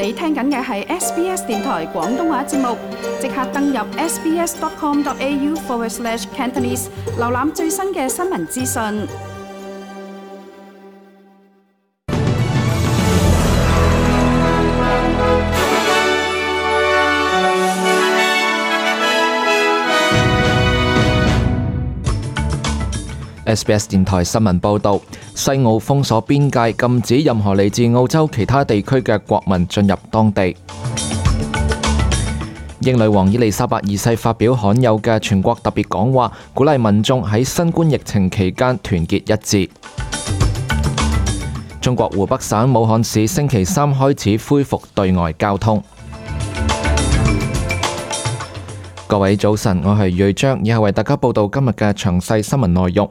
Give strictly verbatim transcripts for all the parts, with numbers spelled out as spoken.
你聽緊嘅係 S B S 電台廣東話節目，即刻登入 sbs.com.au forward slash Cantonese， 瀏覽最新嘅新聞資訊。S B S 電台新聞報導，西澳封鎖邊界，禁止任何嚟自澳洲其他地區嘅國民進入當地。英女王伊麗莎白二世發表罕有嘅全國特別講話，鼓勵民眾喺新冠疫情期間團結一致。中國湖北省武漢市星期三開始恢復對外交通。各位早晨，我係瑞章，以下為大家報道今日嘅詳細新聞內容。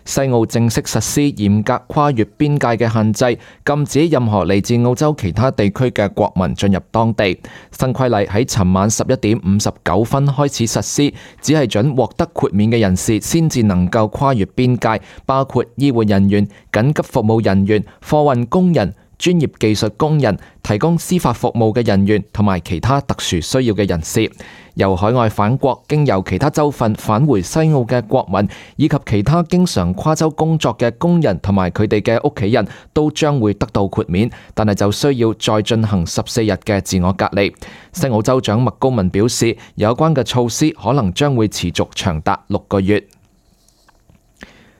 西澳正式實施嚴格跨越邊界嘅限制，禁止任何嚟自澳洲其他地區嘅國民進入當地。新規例喺尋晚十一點五十九分開始實施，只係準獲得豁免嘅人士先至能夠跨越邊界，包括醫護人員、緊急服務人員、貨運工人、專業技術工人、提供司法服務嘅人員同埋其他特殊需要嘅人士。由海外返國經由其他州份返回西澳嘅國民，以及其他經常跨州工作嘅工人同埋佢哋嘅屋企人都將會得到豁免，但係就需要再進行十四日嘅自我隔離。西澳州長麥高文表示，有關嘅措施可能將會持續長達六個月。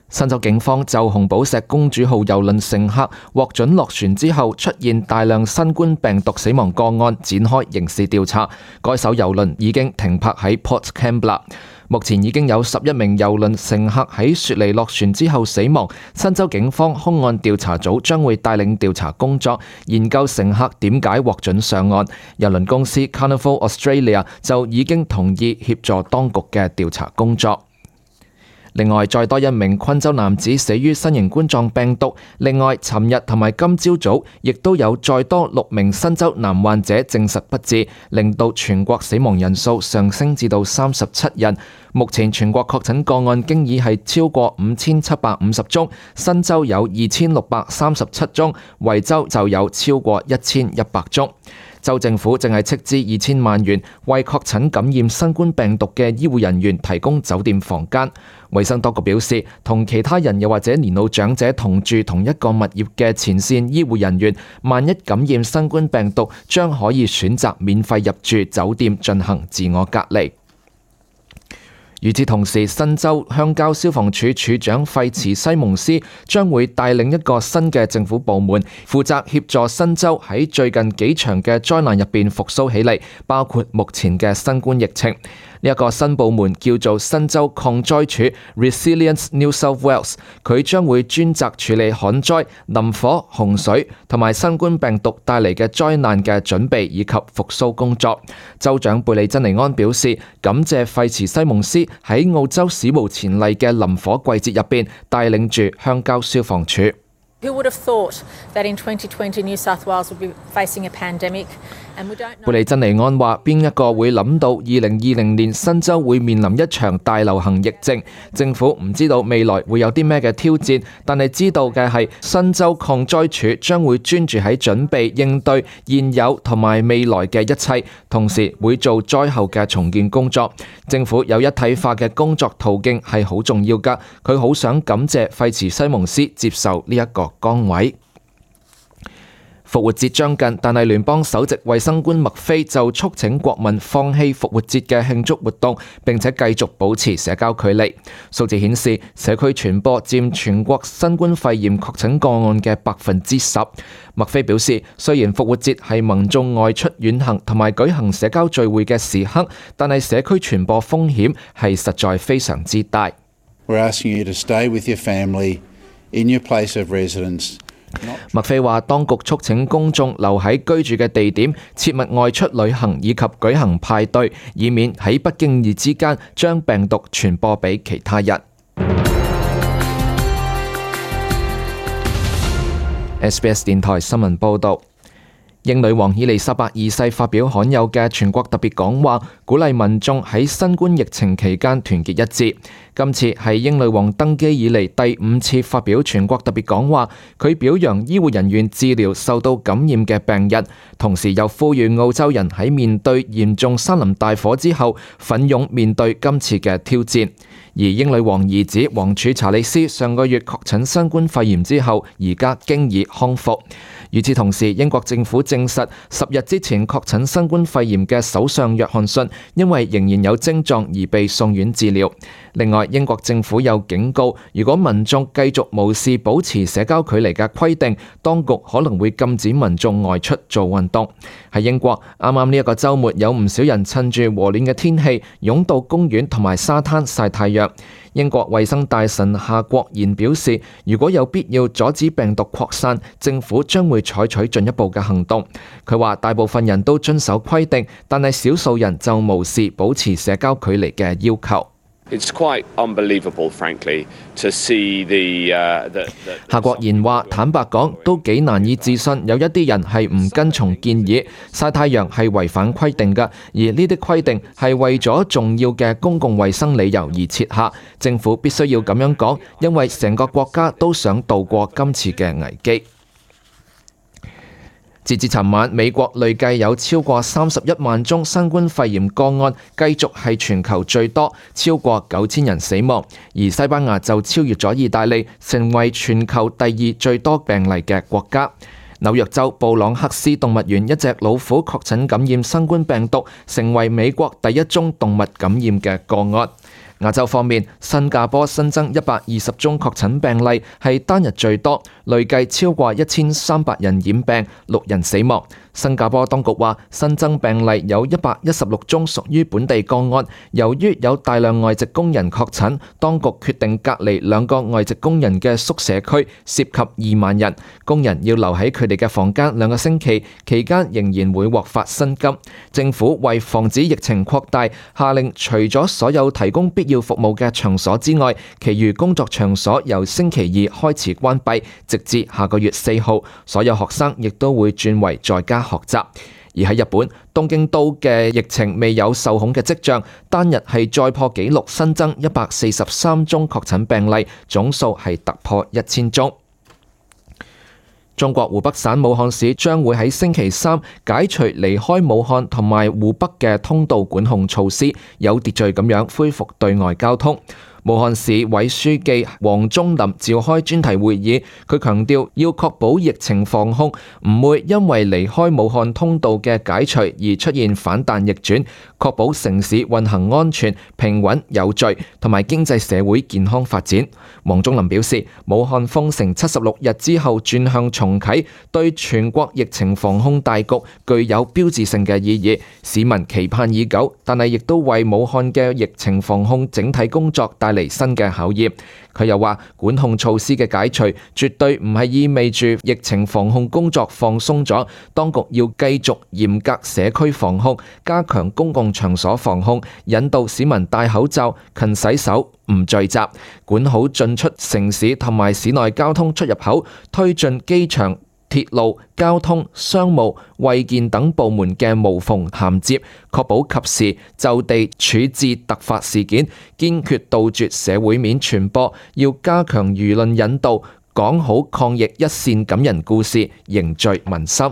新州警方就紅寶石公主號郵輪乘客獲准落船之後出現大量新冠病毒死亡個案展開刑事調查。該艘郵輪已經停泊喺 Port Kembla。目前已經有十一名郵輪乘客喺雪梨落船之後死亡。新州警方兇案調查組將會帶領調查工作，研究乘客點解獲准上岸。郵輪公司 Carnival Australia 就已經同意協助當局嘅調查工作。另外，再多一名昆州男子死於新型冠狀病毒。另外，尋日同埋今朝早亦都有再多六名新州男患者證實不治，令到全國死亡人數上升至到三十七人。目前全國確診個案經已係超過五千七百五十宗，新州有二千六百三十七宗，維州就有超過一千一百宗。州政府正係斥資二千萬元為確診感染新冠病毒嘅醫護人員提供酒店房間。衛生當局表示，同其他人又或者年老長者同住同一個物業嘅前線醫護人員，萬一感染新冠病毒，將可以選擇免費入住酒店進行自我隔離。與此同時，新州鄉郊消防處處長費茨西蒙斯將會帶領一個新嘅政府部門，負責協助新州喺最近幾場嘅災難入邊復甦起嚟，包括目前嘅新冠疫情。呢一個新部門叫做新州抗災處 Resilience New South Wales， 佢將會專責處理旱災、林火、洪水同埋新冠病毒帶嚟嘅災難嘅準備以及復甦工作。州長貝利珍尼安表示，感謝費茨西蒙斯喺澳洲史無前例嘅林火季節入邊帶領住鄉郊消防處。Who would have thought that in twenty twenty New South Wales would be facing a pandemic? 貝利珍尼安話：邊一個會諗到二零二零年新州會面臨一場大流行疫症？政府唔知道未來會有啲咩嘅挑戰，但係知道嘅係新州抗災處將會專注喺準備應對現有同埋未來嘅一切，同時會做災後嘅重建工作。政府有一體化嘅工作途徑係好重要㗎，佢好想感謝費茨西蒙斯接受呢一個崗位。復活節將近，但係聯邦首席衛生官麥菲就促請國民放棄復活節嘅慶祝活動，並且繼續保持社交距離。數字顯示，社區傳播佔全國新冠肺炎確診個案嘅百分之十。麥菲表示，雖然復活節係民眾外出遠行同埋舉行社交聚會嘅時刻，但係社區傳播風險係實在非常之大。We're asking you to stay with your family in your place of residence. 麥菲話，當局促請公眾留喺居住嘅地點，切勿外出旅行以及舉行派對，以免喺不經意之間將病毒傳播俾其他人。S B S 電台新聞報導。英女王伊麗莎白二世發表罕有嘅全國特別講話，鼓勵民眾喺新冠疫情期間團結一致。今次係英女王登基以嚟第五次發表全國特別講話，佢表揚醫護人員治療受到感染嘅病人，同時又呼籲澳洲人喺面對嚴重山林大火之後，奮勇面對今次嘅挑戰。而英女王兒子王儲查理斯上個月確診新冠肺炎之後，而家經已康復。與此同時，英國政府證實十日之前確診新冠肺炎嘅首相約翰遜，因為仍然有症狀而被送院治療。另外，英國政府又警告，如果民眾繼續無視保持社交距離嘅規定，當局可能會禁止民眾外出做運動。喺英國，啱啱呢一個週末有唔少人趁住和暖嘅天氣，湧到公園同埋沙灘曬太陽。英國衛生大臣夏國賢表示，如果有必要阻止病毒擴散，政府將會採取進一步嘅行動。佢話大部分人都遵守規定，但係少數人就無視保持社交距離嘅要求。It's quite unbelievable, frankly, to see the, uh, the, the... 夏國賢話：坦白講，都幾難以置信，有一啲人係唔跟從建議，曬太陽係違反規定㗎，而呢啲規定係為咗重要嘅公共衛生理由而設下。政府必須要咁樣講，因為成個國家都想渡過今次嘅危機。截至尋晚，美國累計有超過三十一萬宗新冠肺炎個案，繼續係全球最多，超過九千人死亡。而西班牙就超越咗意大利，成為全球第二最多病例嘅國家。紐約州布朗克斯動物園一隻老虎確診感染新冠病毒，成為美國第一宗動物感染嘅個案。亞洲方面，新加坡新增一百二十宗確診病例，係單日最多，累計超過一千三百人染病，六人死亡。新加坡當局話，新增病例有一百一十六宗屬於本地個案，由於有大量外籍工人確診，當局決定隔離兩個外籍工人嘅宿舍區，涉及二萬人，工人要留喺佢哋嘅房間兩個星期，期間仍然會獲發薪金。政府為防止疫情擴大，下令除咗所有提供必要服務嘅場所之外，其餘工作場所由星期二開始關閉，直至下個月四號。所有學生亦都會轉為在家學習。而喺日本，東京都嘅疫情未有受控嘅跡象，單日係再破紀錄，新增一百四十三宗確診病例，總數係突破一千宗。中國湖北省武漢市將會喺星期三解除離開武漢同埋湖北嘅通道管控措施，有秩序咁樣恢復對外交通。武漢市委書記王忠林召開專題會議，佢強調要確保疫情防控唔會因為離開武漢通道嘅解除而出現反彈逆轉，確保城市運行安全、平穩有序，同埋經濟社會健康發展。王忠林表示，武漢封城七十六日之後轉向重啟，對全國疫情防控大局具有標誌性嘅意義，市民期盼已久，但係亦都為武漢嘅疫情防控整體工作帶嚟新嘅考驗。佢又話，管控措施嘅解除絕對唔係意味住疫情防控工作放鬆咗，當局要繼續嚴格社區防控，加強公共場所防控，引導市民戴口罩、勤洗手、唔聚集，管好進出城市同埋市內交通出入口，推進機場、鐵路、交通、商務、衛健等部門嘅無縫銜接，確保及時就地處置突發事件，堅決杜絕社會面傳播，要加強輿論引導，講好抗疫一線感人故事，凝聚民心。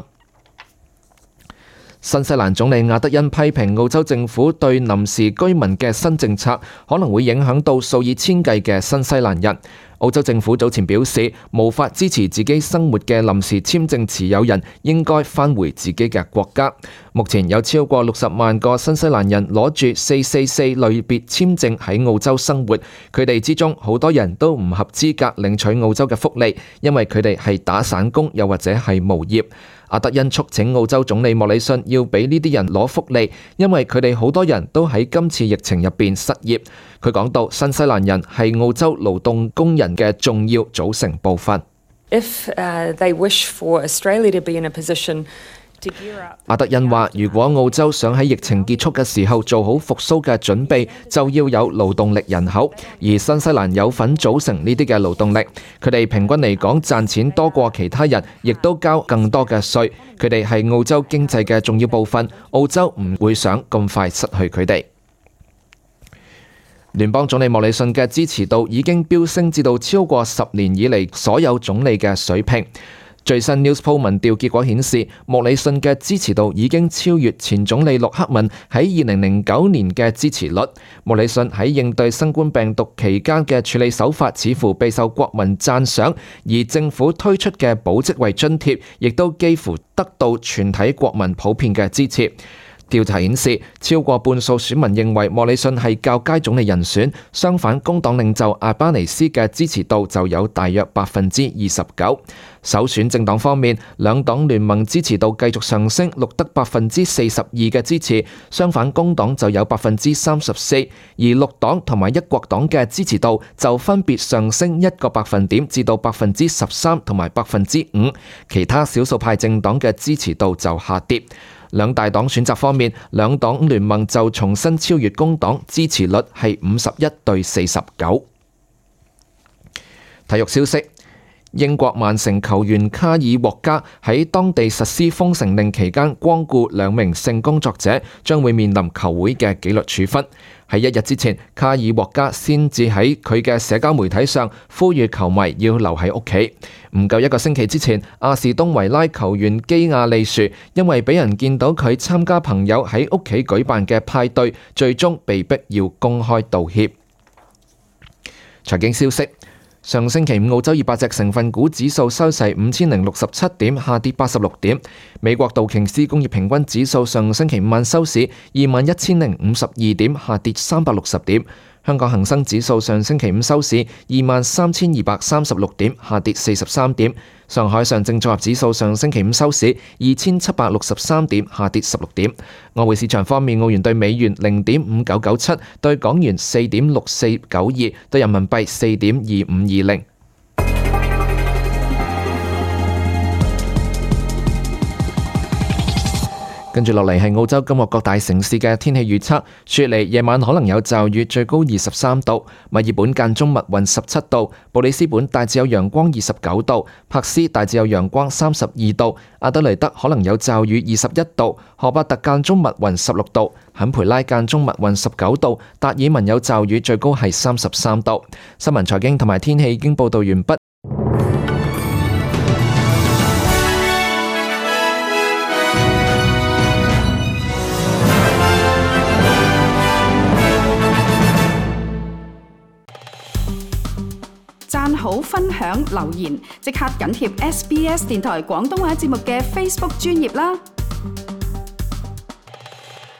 新西蘭總理亞德恩批評澳洲政府對臨時居民嘅新政策可能會影響到數以千計嘅新西蘭人。澳洲政府早前表示，無法支持自己生活嘅臨時簽證持有人應該返回自己嘅國家。目前有超過六十萬個新西蘭人攞住四四四類別簽證喺澳洲生活，佢哋之中好多人都唔合資格領取澳洲嘅福利，因為佢哋係打散工又或者係無業。阿德恩促請澳洲總理莫里遜要俾呢啲人攞福利，因為佢哋好多人都喺今次疫情入邊失業。佢講到，新西蘭人係澳洲勞動工人嘅重要組成部分。If uh, they wish for Australia to be in a position 阿德恩話：如果澳洲想喺疫情結束嘅時候做好復甦嘅準備，就要有勞動力人口，而新西蘭有份組成呢啲嘅勞動力。佢哋平均嚟講賺錢多過其他人，亦都交更多嘅稅。佢哋係澳洲經濟嘅重要部分，澳洲唔會想咁快失去佢哋。聯邦總理莫里遜嘅支持度已經飆升至到超過十年以嚟所有總理嘅水平。最新 Newspoll 民調結果顯示，莫里遜嘅支持度已經超越前總理陸克文喺二零零九年嘅支持率。莫里遜喺應對新冠病毒期間嘅處理手法似乎備受國民讚賞，而政府推出嘅保職位津貼亦都幾乎得到全體國民普遍嘅支持。調查顯示，超過半數選民認為莫里遜係較佳總理人選，相反工黨領袖阿巴尼斯嘅支持度就有大約百分之二十九。首選政黨方面，兩黨聯盟支持度繼續上升，錄得百分之四十二嘅支持，相反工黨就有百分之三十四，而綠黨同埋一國黨嘅支持度就分別上升一個百分點至到百分之十三同埋百分之五，其他少數派政黨嘅支持度就下跌。兩大黨選擇方面，兩黨聯盟就重新超越工黨，支持率係五十一對四十九。體育消息：英國曼城球員卡爾獲加喺當地實施封城令期間光顧兩名性工作者，將會面臨球會嘅紀律處分。喺一日之前，卡爾獲加先至喺佢嘅社交媒體上呼籲球迷要留喺屋企。唔夠一個星期之前，阿士東維拉球員基亞利殊因為俾人見到佢參加朋友喺屋企舉辦嘅派對，最終被逼要公開道歉。財經消息：上星期五澳洲二百隻成分股指數收市五千零六十七點，下跌八十六點。美國道瓊斯工業平均指數上星期五晚收市二萬一千零五十二點，下跌三百六十點。香港恒生指數上星期五收市二萬三千二百三十六點，下跌四十三點。上海上證綜合指數上星期五收市二千七百六十三點，下跌十六點。外匯市場方面，澳元對美元零點五九九七，對港元四點六四九二，對人民幣四點二五二零。跟住落嚟係澳洲今日各大城市嘅天氣預測。雪梨夜晚可能有驟雨，最高二十三度；墨爾本間中密雲十七度；布里斯本大致有陽光二十九度；珀斯大致有陽光三十二度；阿德雷德可能有驟雨二十一度；荷伯特間中密雲十六度；坎培拉間中密雲十九度；達爾文有驟雨，最高係三十三度。新聞財經同埋天氣已經報道完畢。讚好、分享、留言，即刻緊貼 S B S 電台廣東話節目嘅 Facebook 專頁啦！